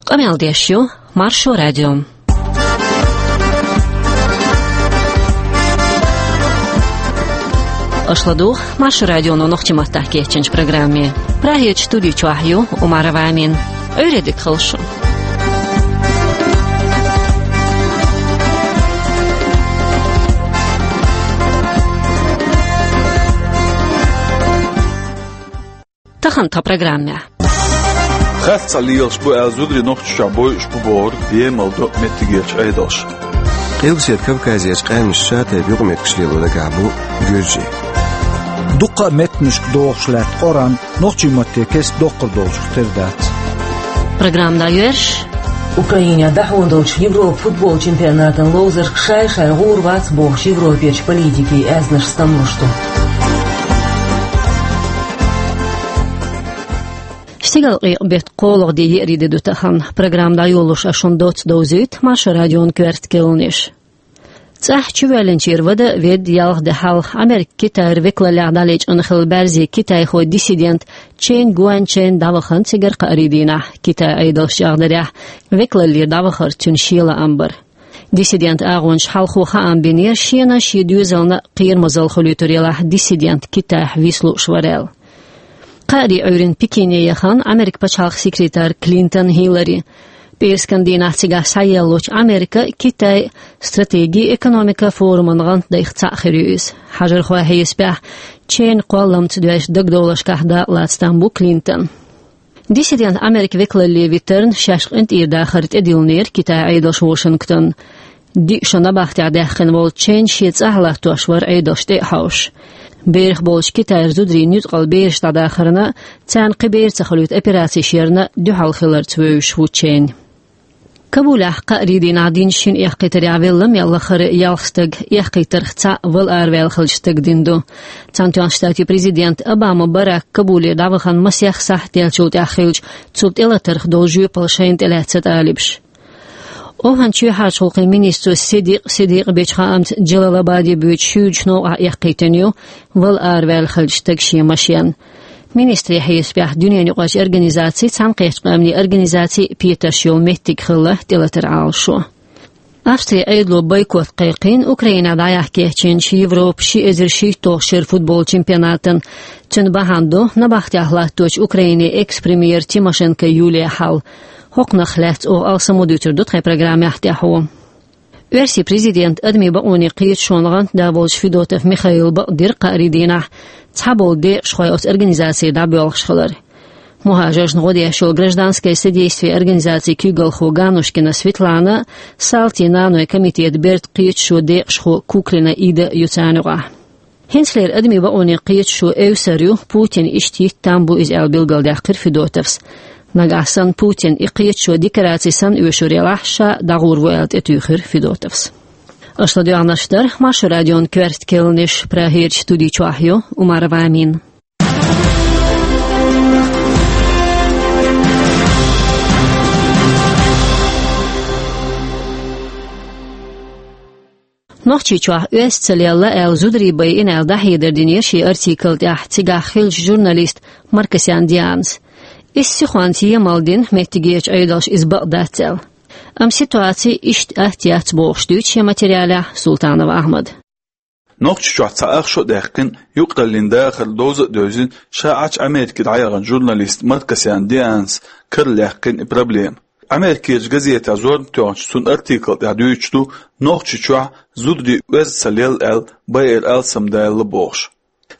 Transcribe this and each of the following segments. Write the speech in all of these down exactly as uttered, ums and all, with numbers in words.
Къамел деш ю Маршо радио. Аша ладугӀу Маршо радионо нохчийн маттахь кечйинчу программе. Прагерчу студи чохь ю Умарова Амина. Ӏуьйре дика хуьлда шун. Тахана тхан программехь. Харц цхьа лелаш бу аьлла зударий Нохчийчохь бойуш бу бохург емал до меттигерчу Ӏедалша. Къилбаседа Кавказерчу къаьмнашца тайпа юкъаметтигаш лело дагахь бу гуьржий. Дуккха а меттанашка догӀуш лаьтта Къуръан нохчийн матте кеста доккхур долчух тера дац. Программа дӀайоьрзуш. Украинехь дӀахьон долчу Европа футбол чемпионатан ловзарш шай-шай гӀур вац бохуш Европерчу политикийн аьзнаш стамлуш ду. Стигалкъекъа беттан кхоалгӀа де, еарин де ду тахана. Программа дӀайолош ас шуна доцца довзуьйту Маршо радион коьрта керланаш. ЦӀахь чувоьллинчера вада а ведда, ялх де хьалха Америка Китайра векаллех дӀалечкъина хилла баьрзин китайхойн диссидент Чен Гуаньчен дӀавахана цигара кхаарин дийнахь. Китайн Ӏедалша чӀагӀдарехь, векаллера дӀавахар цуьнан шен лаам бара. Диссидентан агӀончаша хьалхо хаам бинера, шена а, шен доьзална а кхерамазалла хуьлуьйтур елахь, диссидент Китайхь виса лууш вара аьлла. Кхаарин Ӏуьйранна Пекине яхана Американ пачхьалкхан секретарь Клинтон Хиллари. ПӀераскан дийнахь цигахь схьаеллачу Америка-Китай стратеги-экономикан форуман гӀантдайх цхьаъ хир ю иза. Хьажархойн хьесапехь, Ченан кхолламца доьзначу дагадовларшкахь дакъалаца там бу Клинтон. Диссидент Америкин векалле витарна шаьш къинтӀера дахар тӀедиллинера Китайн Ӏедалша Вашингтонна. Диъ шо набахтехь даьккхина волу Чен шен цӀахь латтош вара Ӏедалш тӀе а хьовсуш. Берах болчу Китайра зударийн нуьцкъала бераш дӀадахарна а, царна кхин бер ца хуьлуьйту операцеш ярна а дуьхьал хиларца вевзаш ву Чен. Кабулехь кхаарин дийнахь динчу шина эккхийтарехь велла мел лахара ялх стаг, эккхийтарх цхьаъ вала араваьлла хиллачу стага дина ду. Цхьаьнатоьхначу Штатийн президент Обама Барак Кабуле дӀавахана масех сахьт даьллачул тӀаьхьа хиллачу цу тӀелатарх долу жоьпалла шайна тӀелаьцна талибаша. ОвхӀан чоьхьарчу гӀуллакхийн министро Сидикъ Сидикъа бечу хаамца, Джалалабаде боьдучу шуьйрачу новкъахь эккхийтина ю вала араваьлла хиллачу стага шен машен. Министрийн хьесапехь, дуьненаюкъарчу организацийн, Цхьаьнакхеттачу Къаьмнийн организацийн а петарш йолу меттиг хилла тӀелатаран Ӏалашо. Австрин Ӏедало бойкот кхайкхийна Украинехь дӀаяхьа кечйинчу Европан ши эзар шийтталгӀачу шеран футбол чемпионатан. Цуьнан бахьана ду набахтехь латточу Украинин экс-премьер Тимошенко Юлия хьал. ХӀокхунах лаьцна оха алсам ма дуьйцур ду тхайн программехь тӀаьхьо. Оьрсийн президентан адамийн бакъонийн кхеташонан гӀантда волчу Федотов Михаила бакъдира кхаарин дийнахь цхьаболу декъашхой оцу организацех дӀабоьлхуш хилар. МухӀажаршна гӀо деш йолу гражданское содействие организацин куьйгалхо Ганушкина Светлана а, Салтин нанойн комитетан бертан кхеташо, декъашхо Куклина Ида а ю царна юкъахь. ХӀинцалера адамийн бакъонийн кхеташо эвсар ю Путинна иштта хӀитта там бу иза аьлла билгалдаьккхира Федотовс. Нагахь санна Путин и кхеташо декораци санна оьшур елахь, ша дӀагӀур ву аьлла тӀетуьйхира Федотовс. Аша ладоьгӀнарш дара Маршо радион коьрта керланаш, Прагерчу студи чохь ю Умарова Амина. Нохчийчохь оьзда ца лелла аьлла, зударий байина аьлла, дӀахьедар динера шен артикл тӀехь цигахь хиллачу журналиста Маркосян Дианас. Иза сихонца емал дина, меттигерчу Ӏедалша иза бакъ дац аьлла. Амма ситуаци иштта атта яц бохуш дуьйцу шен материалехь Султанова Ахьмада. Нохчийчохь цхьа ах шо а даьккхина, юкъараллин дахар довза а девзина, ша Ӏачу Америке дӀаяхана журналист Маркосян Дианас каралаьккхина и проблема. Америкерчу газетехь зорбан тоьхначу цуьнан артикл тӀехь дуьйцуш ду, Нохчийчохь зударий оьзда ца лелла аьлла, байар алсамдаьлла бохуш.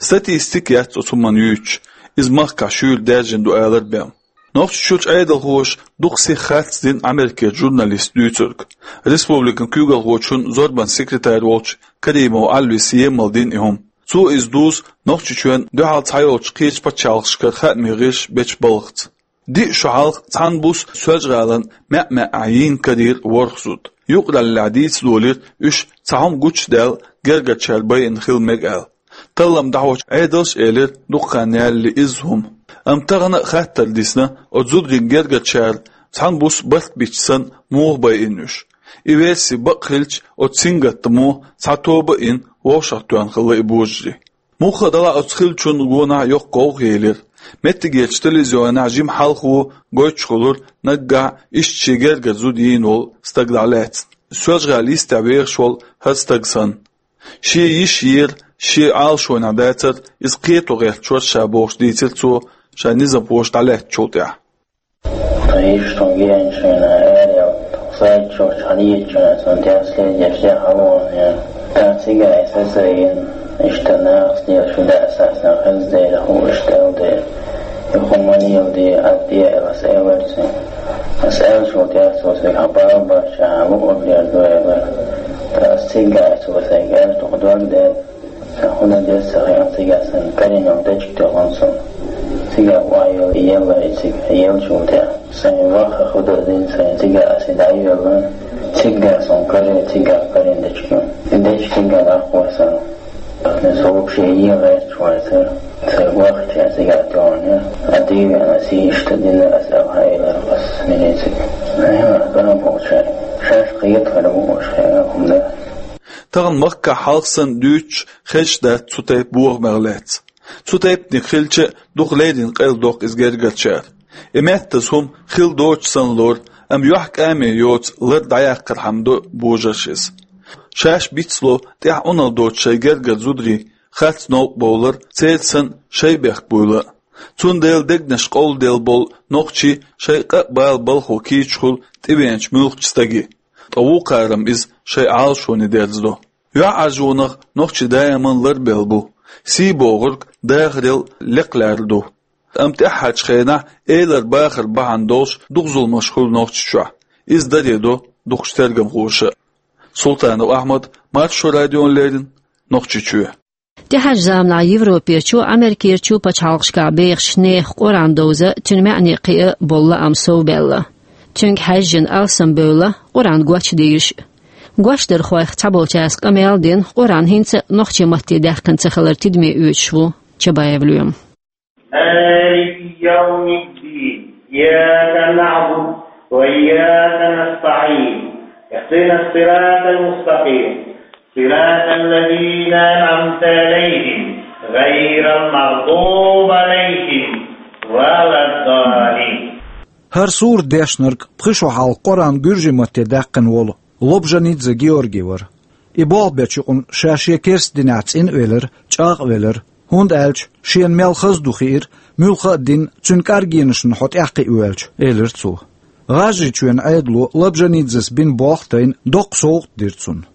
Статистика яц оцу хӀуманна юьйцуш, иза махкахь шуьйра даьржина ду алар бен. Нохчийчуьрчу Ӏедалхоша дукха сиха харц дина Америкерчу журналиста дуьйцург. Республикан куьйгалхочун зорбан секретарь волчу Каримов Ӏалвиса емал дина и хӀума. Цо иза дузу Нохчийчоьнна дуьхьал цхьайолчу кхечу пачхьалкхашкара хаамийн гӀирсаша бечу балхаца. Диъ шо хьалха цхьана буса Соьлжа-ГӀалина маьӀ-маьӀӀехь йийна карийра ворхӀ зуда. Юкъараллехь дийца долийра, уьш цхьа хӀума гучудаьлла гергарчара байина хила мега аьлла. Таллам дӀахьочу Ӏедалша элира, дукха хан яьлла иза хӀума. Амма тахана а хаттар дисна, оцу зударийн гергарчара цхьана буса барт бича санна муха байина уьш. И верси бакъ хилча, оцу сингаттамо цхьа тоба а йина, вовшахтоьхна хилла и божарий. Мухха а делахь, оцу хиллачунна гонах йоккха гӀовгӀа елира. Меттигерчу телевизионехь жима хьалхо гойтуш хуьлура наггахь иштта шен гергара зуда йийна волу стаг дӀалаьцна, Соьлжа-ГӀалин йистехь вехаш волу хӀара стаг санна. Шен йиш йора, шен Ӏалашонехь дацара, иза кхето гӀерташ вара ша бохуш дийцира цо ша низамхоша дӀалаьцначул тӀаьхьа. Тхан йиш тхуна геанчу хенахь аьлла, тхо сайтчохь хьан йийцча, цунна тӀехь следеш де хьалавахана. ТӀаккха цигахь и сацайина, иштта нахаца лелаш ду аса сан хезна дела, хӀу иштта аьлла дела. И хӀума леладе, ат де аьлла, аса элира цуьнга. Аса аьллачул тӀаьхьа цо сайга хьан бала бац, хьан луъург дер ду элира. Ткъа аса цигахь цо сайга аьлла, тхо дог дер. Сан хӀун дан деза ца хиъна, цигахь сан карийна йолу дечиг тоьхна суна. Цигахь охьайолу и елла, и цига еллачул тӀаьхьа. Сайн ваха хӀу дан дина сайн, цигахь аса и дӀайоьллина. Цигахь суна карийна, цигахь карийна дечиг ю. И дечиг цигахь дӀакхоьссина. Ткъа со вообще йийла гӀерташ вацара. Сайн вахча цигахь тоьхна. А дийна аса иштта дина аса аьлла хьаэлира аса милицига. Айхьа, гӀан болчара. Шаьш кхета хир бу уьш, хӀара хӀума дан. Тахана махкахь хьалха санна дуьйцуш хезаш дац цу тайпа бохамех лаьцна. Цу тайпаниг хилча а, дукха леррина къайладоккху иза гергарчара. И меттаза хӀума хила доцуш санна лору, амма юьхькӀаме йоцу лар дӀаяккхархьама до божарша иза. Шаьш бицло, тӀаьхьа Ӏуналла доцу шайн гергара зударий харц новкъа бовлар, церан санна шайн бехк буйла а. Цундела дегнаш къовладелла болу нохчий шайн къа а бала балхо кийча хуьлу тӀевеанчу муьлххачу стаге. Ткъа вукхарам иза шайн Ӏалашоне дерзадо. ЙоьӀаржонах нохчий даиман ларбелла бу. Сий бохург дахарел лекха лаьрра ду. Амма тӀаьххьарчу хенахь элар бахар бахьана долуш дукха зуламаш хуьлу Нохчийчохь. Иза даре до дукхачу тергамхоша. Султанов Ахьмад, Маршо радиона леррина, Нохчийчоь. ТӀаьхьарчу заманахь Европерчу, Америкерчу пачхьалкхашкахь бехаш нехан Къуръан довза, цуьнан маьӀне кхиа болу лаам совбаьлла. Цуьнга хьаьжжина алсамбевлла Къуръан гочдийраш. Гочдархойх цхьаболчаьрца къамел а дина, Къуръан хӀинца а нохчийн матте даьккхина ца хилар тидаме оьцуш ву Чабаев Лоьма. مالك يوم الدين. إياك نعبد وإياك نستعين. اهدنا الصراط المستقيم. صراط الذين أنعمت عليهم غير المغضوب عليهم ولا الضالين. ХӀара сурат дешнарг пхи шо хьалха Къуръан гуьржийн матте даьккхина волу Лобжанидзе Георгий вара. И болх бечу юкъана ша шен керста динехь цӀена а велира, чӀагӀ а велира, хӀунда аьлча шена мел хаза ду хиира, муьлхха а дин цуьнан кӀаргенашна хьо тӀаьхьакхиавоьлча, элира цо. ГӀажарийчоьнан Ӏедало Лобжанидзес бина болх а тайна, доккха совгӀат дира цунна.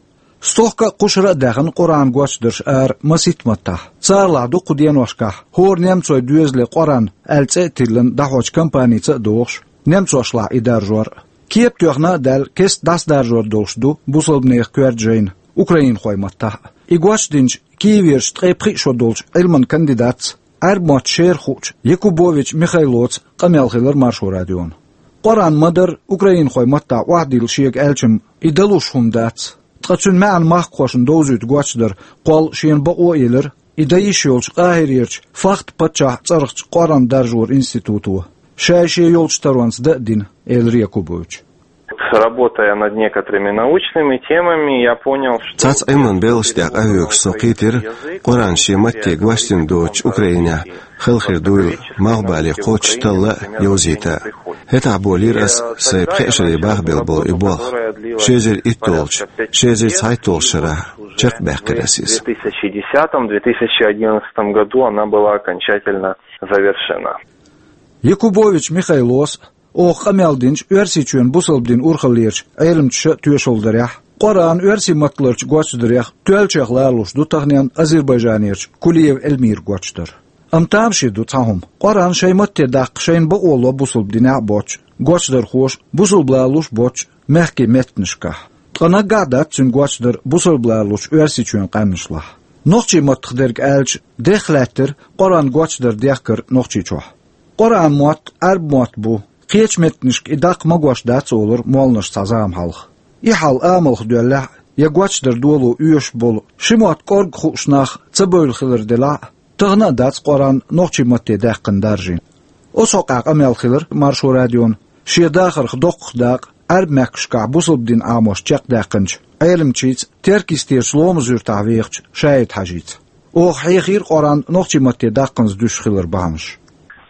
Стохка а, кхушара а даьхна Къуръан гочдарш ара масийтта маттахь. Царалахь ду кху деношкахь хӀора немцойн доьзале Къуръан аьлла цӀе а тиллина дӀахьочу кампаница а догӀуш, немцошлахь и даржор а. Кепа тоьхна а даьлла, кеста дӀасадаржор долуш ду бусалбанехан коьрта жайна, украинхойн маттахь а. И гочдинчу Киеверчу ткъе пхи шо долчу Ӏилманан кандидатца, Ӏаьрбийн мотт шера хуучу Якубович Михайлоца къамел хилира Маршо радиона. Къуръан ма-дарра украинхойн маттахь охьадилла шега аьлча-м, и далуш хӀума дац. Ткъа цуьнан маьӀна махкахошна довзуьйту гочдар кхолла шена бакъо а елира, и дан йиш йолчу Къахьирерчу Фахд паччахьан цӀарахчу Къуръан даржоран институто. Шай-шен йолчу таронца дан а дина, элира Якубовича. Работая над некоторыми научными темами, я понял, что... Цхьацца Ӏилманан белхаш тӀехь къахьоьгуш со кхийтира, Къуръан шен матте гочдина доцучу Украинехь хала хир дуйла малхбале кхоччуш талла а, йовзийта а. ХӀетахь болийра ас сайн пхеа шаре бахбелла болу и болх. Ши эзар итт долчу, ши эзар цхьайтталгӀачу шарахь чекхбаьккхира ас иза. В две тысячи десятом, две тысячи одиннадцатом году она была окончательно завершена. Якубович Михайлос, оха къамел динчу Оьрсийчоьнан бусалба дин урхаллерчу Ӏеламчаша а тоьшалла дарехь, Къуръан оьрсийн матталарчу гочдарех тоьллачех лоруш ду таханлерчу Азербайджанерчу Кулиева Эльмиран гочдар. Амма тамашийна ду цхьа хӀума. Къуръан шайн матте даккха шайна бакъо ло бусалба динехь а боцчу, гочдархоша, бусалба лалош боцчу мехкийн меттанашкахь. Ткъа наггахь а дац цуьнан гочдар бусалба лалочу Оьрсийчоьнан къаьмнашлахь. Нохчийн маттах дерг аьлча, дехха лаьттира Къуръан гочдар дехкар Нохчийчохь. Къуръан мотт Ӏаьрбийн мотт бу, кхечу меттанашка и даккха магош дац, олура молланаш цхьа зама хьалха. И хьал амалх доьллехь а, я гочдар доло оьшуш болу, ши мотт кӀорга хууш нах ца бевлла хилар делахь а, тахана а дац Къуръан нохчийн матте даьккхина даржийна. Оцу хьокъехь къамел хилира Маршо радиона шен дахарх доккхах дакъа Ӏаьрбийн мехкашкахь бусалба дин Ӏамош чекхдаьккхинчу Ӏеламчица, Теркйистерчу Ломаз-Юьртахь вехачу Шаид-Хьаьжица. Оха хьехийра Къуръан нохчийн матте даккханза дуьсуш хилар бахьанаш.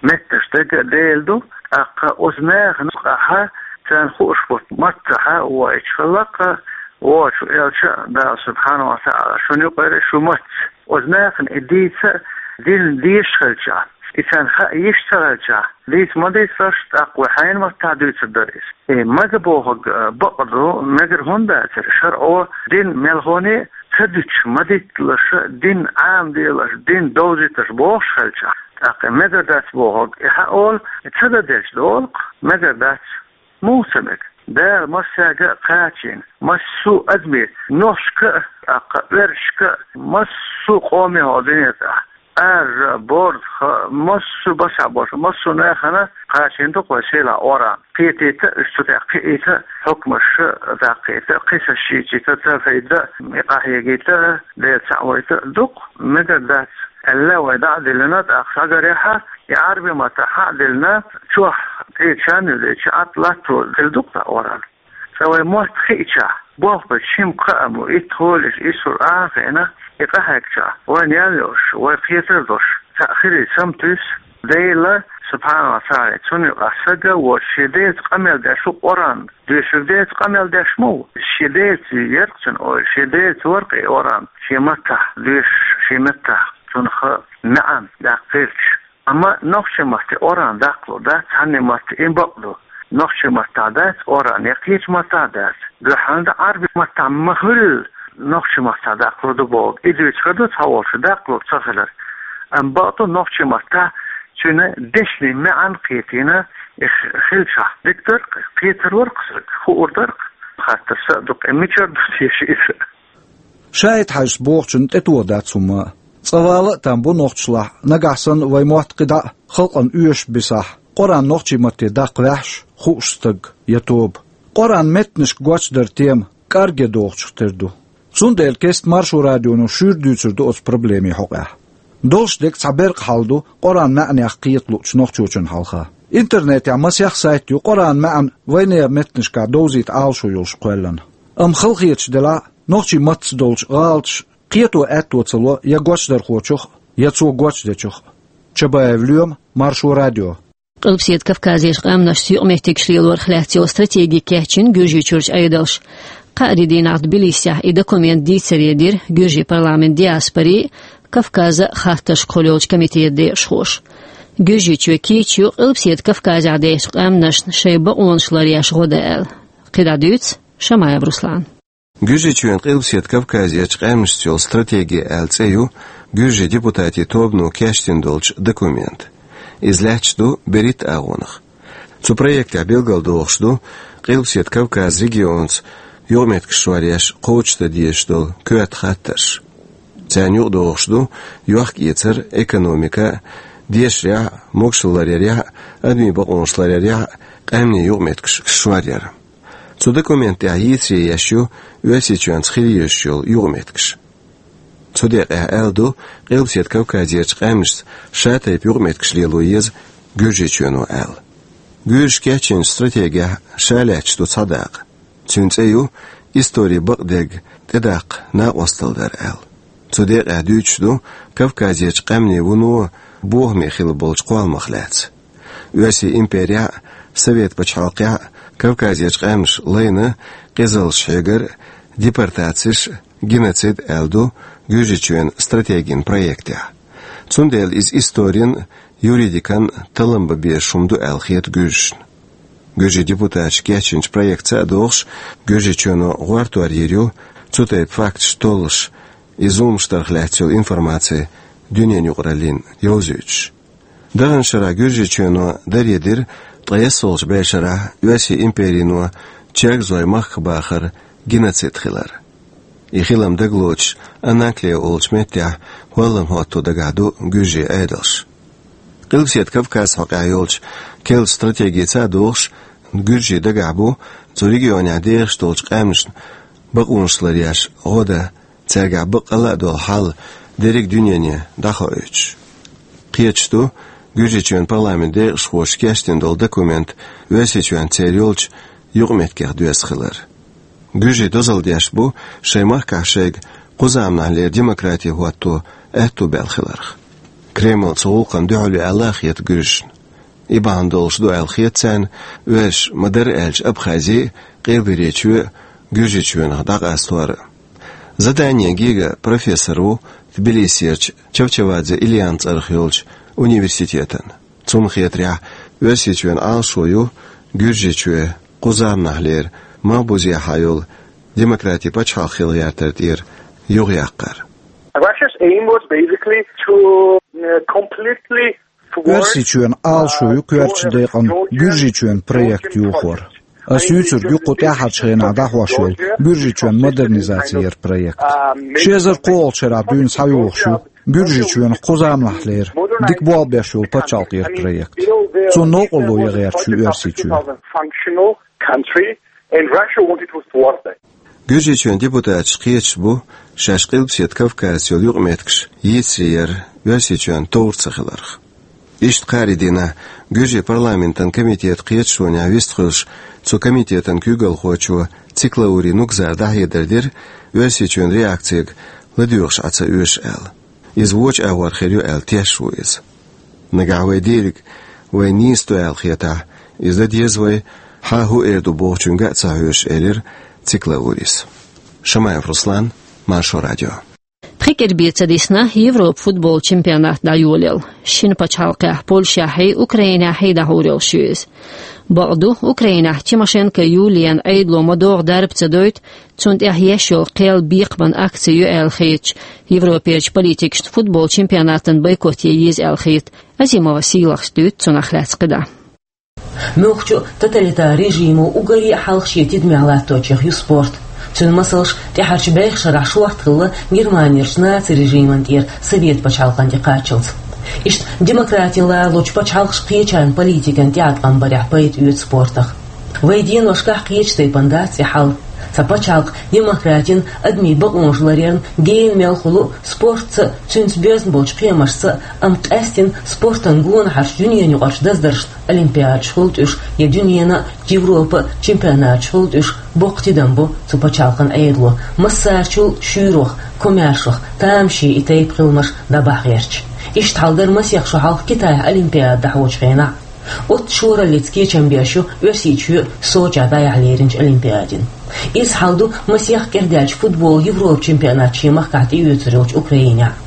меттанаш дага а Дела ду, тӀаккха оцу нахана юкъахь царна хууш болу маттахь а воуьйтуш хилла-кх, вочу элча а, Дала субхьанаху ва таӀала шуна юкъара шу мацца. Оцу нахана и дийца а дина дезаш хилчахь, и царна хаа йиш ца хилчахь, дийца ма дийцалаш, тӀаккха вай хьайна маттахь дуьйцур дара иза. И мага бохург, а, бакъ ду, мегар хӀунда дацара, шарӀо дин мелхоне а ца дуьтуш, ма дитталаш, дин Ӏамаделаш, дин довзийташ бохуш хилчахь, тӀаккха мегар дац бохург, и хьан олу, и ца дан делча долу-кх, мегар дац. Муха ца мега? Дала массаьрга а кхачийна, массо а адаме, нохчашка а, тӀаккха оьрсашка а, массо а къоме хьо дуьнен тӀехь, Ӏаьржа, борза, массо а басахь болуш, массо а нахана кхачийна ду-кх вай сийлахь Къуръан. Кхетийта а, уьш цу тӀехь кхиийта а, хьукмаш даккхийта а, кхин са шийчийта а, ца файда а, и къахьегийта а, Дела цхьаъ вайта а ду-кх, мегар дац. Аьлла, вай дӀа а диллина, тӀаккха схьагарехь, и Ӏарби маттахь а диллина, чохь тӀе чан а юьллича, Ӏад латто хила ду-кх тхан Къуръан. Цкъа вай мотт хиъчахь, болх бечу шимма кхаам бу, итт хьолаш, исур а хиъна, и къахьегчахь, вайна ял йолуш, вай кхетар долуш, цхьаъ хилийта саматуьйсу, Дела, субхьанаху ва таӀала, цунна юкъахь стаг а воцуш, шен Делаца къамел деш ву Къуръан, доьшург Делаца къамел деш ма ву, шен Делаца яра-кх цуьнан ойла, шен Делаца вара-кх и Къуръан, шен маттахь доьшуш, шен меттахь цунах маьӀна даккха хилча. Амма нохчийн матте Къуръан даккхалур дац, цхьанне матте, и бакъ ду. Нохчийн маттахь дац Къуръан, я кхечу маттахь дац. Дуьххьал дан Ӏарби маттахь ма хуьллу, нохчийн маттахь даккхалур ду бохург. И дуьйцуш хир ду цхьаволчу даккхалур ца хилар. Амма бакъ ду, нохчийн маттахь цуьнан дешнийн маьӀна кхетийна, и х-, хилчахь дика дара-кх, кхетар вара-кх стаг, хуур дара-кх, хаттар са а ду-кх, мичара ду теша иза? ШаӀид-Хьаьжас бохучунна тӀетоха дац хӀумма а. Цкъа вала а там бу нохчашлахь, нагахь санна вайн мотт кхидӀа а халкъана оьшуш бисахь, Къуръан нохчийн матте даккха ваьхьаш, хууш стаг я тоба. Къуръан меттанашка гочдар тема кӀаргге догӀучух тера ду. Цундела кеста Маршо радионо шуьйра дуьйцур ду оцу проблемин хьокъехь. Долуш дерг цхьа беркъа хьал ду Къуръан маьӀнех кхета луучу нохчочун хьалха. Интернетехь масех сайт ю Къуръан маьӀна вайнехан меттанашкахь довзийта Ӏалашо йолуш кхоьллина. Амма халахеташ делахь а, нохчийн матца долчу гӀалаташ кхето аьтто ца ло я гочдархочух а, я цо гочдечух а. Чабаев Лоьма, Маршо радио. Къилбаседа Кавказерчу къаьмнашца юкъаметтигаш лелорах лаьцна йолу стратеги кечйина Гуьржийчуьрчу Ӏедалша. Кхаа де дийнахь Тбилисехь и документ дийцаре дира Гуьржийн парламентан диаспорин а, Кавказан а хаттаршкахула йолчу комитетан декъашхоша. Гуьржийчоь кийча ю Къилбаседа Кавказехь дечу къаьмнашна шайн бакъонаш ларъеш гӀо дан аьлла. КхидӀа дуьйцу Шамаев Руслана. Гуьржийчоьнан Къилбаседа Кавказерчу къаьмнашца йолу стратеги аьлла цӀе ю гуьржийн депутатийн тобано кечдина долчу документа. Иза лаьтташ ду берхӀитта агӀонах. Цу проектехь билгалдохуш ду Къилбаседа Кавказан регионца юкъаметтигаш шоръеш кхочушдан дезаш долу коьрта хаттарш. Царна юкъадогӀуш ду йохк-эцар, экономика, дешарехь а, могашалла ларъярехь а, адамийн бакъонаш ларъярехь а къаьмнийн юкъаметтигаш шоръяр. Цу документа тӀехь йийцаре еш ю Оьрсийчоьнца хила езаш йолу юкъаметтигаш. Цу декъехь аьлла ду, Къилбаседа Кавказерчу къаьмнашца шатайпа юкъаметтигаш лело еза Гуьржийчоьно аьлла. Гуьржаша кечйинчу стратегехь ша лаьтташ ду цхьа дакъа. Цуьнан цӀе ю «Историн бакъдерг тӀедаккха накъосталла дар» аьлла. Цу декъехь дуьйцуш ду Кавказерчу къаьмнийн вуно бохаме хилла болчу кхолламах лаьцна. Оьрсийн имперехь а, Совет пачхьалкхехь а Кавказерчу къаьмнаш лайна къизаллаш хьегар а, депортацеш а, геноцид аьлла ду Гуьржийчоьнан стратегин проектехь. Цундела иза историн а, юридикан а таллам бан безаш хӀума ду аьлла хета гуьржашна. Гуьржийн депутаташа кечйинчу проектца а догӀуш, Гуьржийчоьно гӀортор йийр ю цу тайпа факташ толлуш, и зуламаш дарх лаьцна йолу информаци дуьненан юкъараллина йовзуьйтуш. Даханчу шарахь Гуьржийчоьно даре дира ткъе ялхолгӀачу бӀешарахь Оьрсийн империно чергазойн махках бахар геноцид хилар. И хилам дагалоцуш Анаклия олучу меттехь хӀоллам хӀотто дагахь ду гуьржийн Ӏедалш. Къилбаседа Кавказан хьокъехь йолчу керла стратегица а догӀуш, гуьржийн дагахь бу цу регионехь дехаш долчу къаьмнашна бакъонаш ларъеш гӀо дан, цаьргахь баккъалла а долу хьал дерриг дуьнене дӀахоуьйтуш. Кхеташ ду, Гуьржийчоьнан парламентан декъашхоша кечдина долу документ Оьрсийчоьнца церан йолчу юкъаметтигех доьзна хилар. Гуьржийн дозалла деш бу шайн махкахь шайга кху заманахьлера демократи хӀотто аьтто баьлла хиларх. Кремль цу гӀуллакхна дуьхьал ю аьлла а хета гуьржашна. И бахьана долуш ду аьлла хета царна оьрсаша, ма-дарра аьлча, Абхази а, Къилберечоь а Гуьржийчоьнах дӀакъастор а. Заданен Гига профессор ву Тбилисерчу Чавчавадзе Ильян цӀарах йолчу университетан. Цунна хетарехь, Оьрсийчоьнан Ӏалашо ю Гуьржийчоь кху заманахьлера Малхбузехьа йолу демократин пачхьалкх хила гӀертар тӀера юхаяккхар. Russia's aim was basically to, uh, completely thwart, Оьрсийчоьнан Ӏалашо ю коьртачу декъана Гуьржийчоьнан проект йохор. Ас юьйцург ю кху тӀаьхьарчу хенахь дӀахьош йолу Гуьржийчоьнан модернизаци яран проект. Ши эзар кхоалгӀачу шарахь дуьйна схьайогӀуш ю Гуьржийчоьнах кху заманахьлера дика болх беш йолу пачхьалкх яран проект. Цунна новкъарло ян гӀерташ ю Оьрсийчоь. Functional country, and Russia wanted to thwart that. Гуьржийчоьнан депутаташ кхеташ бу шаьш Къилбаседа Кавказца йолу юкъаметтигаш йийцаре яр Оьрсийчоьнан товр ца хиларх. Иштта кхаарин дийнахь Гуьржийн парламентан комитетан кхеташонехь вистхуьлуш, цу комитетан куьйгалхочо Циклаури Нугзара дӀахьедар дира, Оьрсийчоьнан реакцига ладоьгӀуш Ӏа ца оьшу аьлла. Иза вочу агӀор хир ю аьлла тешаш ву иза. Нагахь вай дийриг, вай нийса ду аьлла хетахь, иза дан деза вай, хьан хӀун эр ду бохучуьнга а ца хьоьжуш, элира Циклаурис. Шамаев Руслан, Маршо радио. Пхи кӀира бен ца дисна Европа футбол чемпионат дӀайолаелла. Шина пачхьалкхехь, Польшехьий, Украинехьий дӀахьур йолуш ю иза. Бакъду, Украинехь Тимошенко Юлиян Ӏедало ма-догӀу дарба ца дойту, цунна тӀехь еш йолу кхел бекхаман акци ю аьлла хеташ, Европерчу политикашна футбол чемпионатан бойкот ян еза аьлла хета. Азимова Сийлахьас дуьйцу цунах лаьцна кхидӀа. Муьлххачу тоталитар режимо уггаре а хьалха шен тидамехь латточех ю спорт. Цуьнан масалш тӀаьхьарчу бӀех шарахь шортта хилла Германерчу наци режиман тӀера совет пачхьалкхан тӀекхаччалц. Иштта демократин ларалучу пачхьалкхашка кхечарна политикан тӀеӀаткъам барехь пайда оьцу спортах. Вайн деношкахь кхечу тайпана дац и хьал. Цхьа пачхьалкх демократин, адамийн бакъонаш ларъярна гена мел хуьлу, спортца, цуьнца боьзна болчу кхиамашца, амма къаьсттина спортан гонахьарчу дуьненаюкъарчу даздаршна, олимпиадаш хуьлу тӀуьш я дуьненан а, Европан а чемпионаташ хуьлу тӀуьш, боккха тидам бо цу пачхьалкхан Ӏедало, массарчул шуьйрах, комаьршах, тамашийна и тайпа хиламаш дӀабахьа гӀерташ. Иштта хьал дара масех шо хьалха Китайхь олимпиада дӀахьочу хенахь. Оццу шораллица кечам беш ю Оьрсийчоь Сочехь дӀаяхьа леринчу олимпиадина. Изза хьал ду масех кӀирдаьллачу футболан Европан чемпионат шен махкахь тӀеоьцур йолчу Украинехь.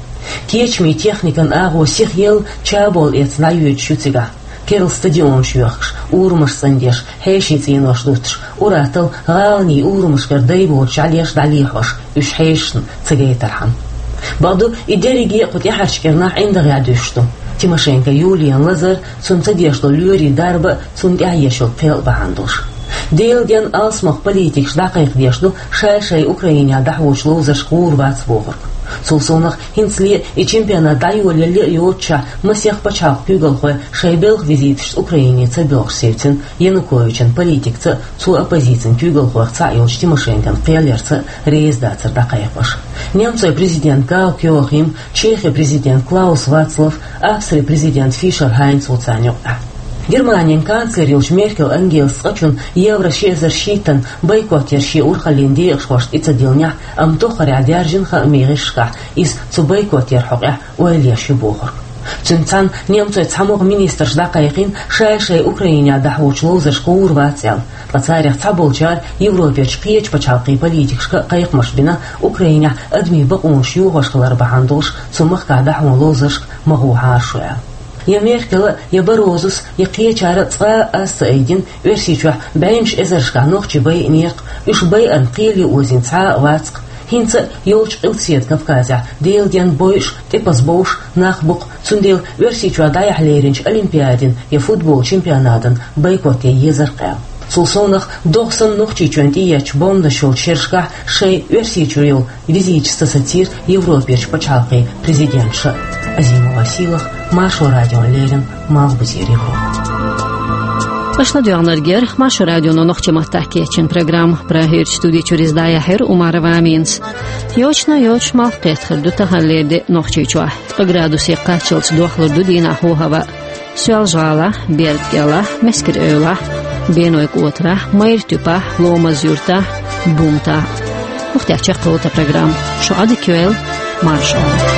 Кечамийн техникан агӀо сиха елла, чаболла эцна дӀайоьдуш ю цигахь. Керла стадионаш йоьхкуш, урамаш цӀандеш, хьешийн цӀенош дуттуш, ур-атталла гӀаланийн урамашкара дай боцуш жӀаьлеш дӀалехьош, уьш хьешашна ца гайтархьама. Бакъду, и дерриге а кху тӀаьхьарчу кӀирнахь ӀиндагӀехь дуьсуш ду. Тимошенко Юлиян лазар, цунна ца деш долу лоьрийн дарба, цунна тӀехь еш йолу кхел бахьана долуш. Делан денна алсамох политикаш дӀакхайкхадеш ду шай-шай Украинехь дӀахьочу ловзаршка гӀур вац бохург. Цул совнах, хӀинцале и чемпионат дӀайолаялале а йоццушехь, масех пачхьалкхан куьйгалхой шайн белхан визиташца Украине ца боьлхуш севцина Януковичан политикца а, цо оппозицин куьйгалхойх цхьаъ йолчу Тимошенкон кхел ярца а реза дацар дӀакхайкхош. Немцойн президент Гаал Кёахим, Чехин президент Клаус Вацлав, Австрин президент Фишер Хайнц ву царна юкъахь. Германин канцлер йолчу Меркел Ангелас цкъачунна евро ши эзар шийттан бойкот яр шен урхаллин декъашхошна тӀе ца диллинехь, амма тоххарехь даьржина хаамийн гӀирсашкахь иза цу бойкот яран хьокъехь ойла еш ю бохург. Цуьнца цхьаьна немцойн цхьамогӀа министраш дӀакхайкхина шай-шай Украинехь дӀахьочу ловзаршка гӀур вац аьлла, ткъа царах цхьаболчара Европерчу кхечу пачхьалкхийн политикашка а кхайкхамаш бина, Украинехь адамийн бакъонаш йохош хилар бахьана долуш цу махкахь дӀахьочу ловзаршка ма гӀохьара шу аьлла. Я Меркела, я Баррозус, я кхечара цкъа а аз ца айдина, Оьрсийчохь бӀеннаш эзаршкахь нохчий байинера-кх, уьш байарна кхеле озийна цхьа а вац-кх. ХӀинца а йолчу Къилбаседа Кавказехь Делан денна бойуш, тӀепаза бовш нах бу-кх, цундела Оьрсийчохь дӀаяхьа леринчу олимпиадин я футболан чемпионатан бойкот ян езар-кх аьлла. Цул совнах, догӀа санна Нохчийчоьнна тӀееттачу бомбанаш йолчу шерашкахь шайн Оьрсийчуьра йолу визиташ ца сацийра Европерчу пачхьалкхийн президенташа. Азимова Сийлахь, Маршо радиона леррина, Малхбузера Европа. Аша ладоьгӀнарг яра Маршо радион нохчийн маттахь кечйина программа. Прагерчу студи чуьра иза дӀаяьхьира Умарова Аминас. Йочана йоцуш малх кхетар ду таханлера де Нохчийчохь. Ткъа градусе кхаччалц дохлур ду дийнахь хӀаваъ. Соьлжа-ГӀалахь, Берда-КӀелахь, Мескер-Эвлахь, Беной-КӀотарахь, Майра-Туьпехь, Ломаз-Юьртахь, Бумтахь. ХӀокху тӀехь чекхйолу тхан программа. Шу Ӏадика йойла, марша Ӏойла.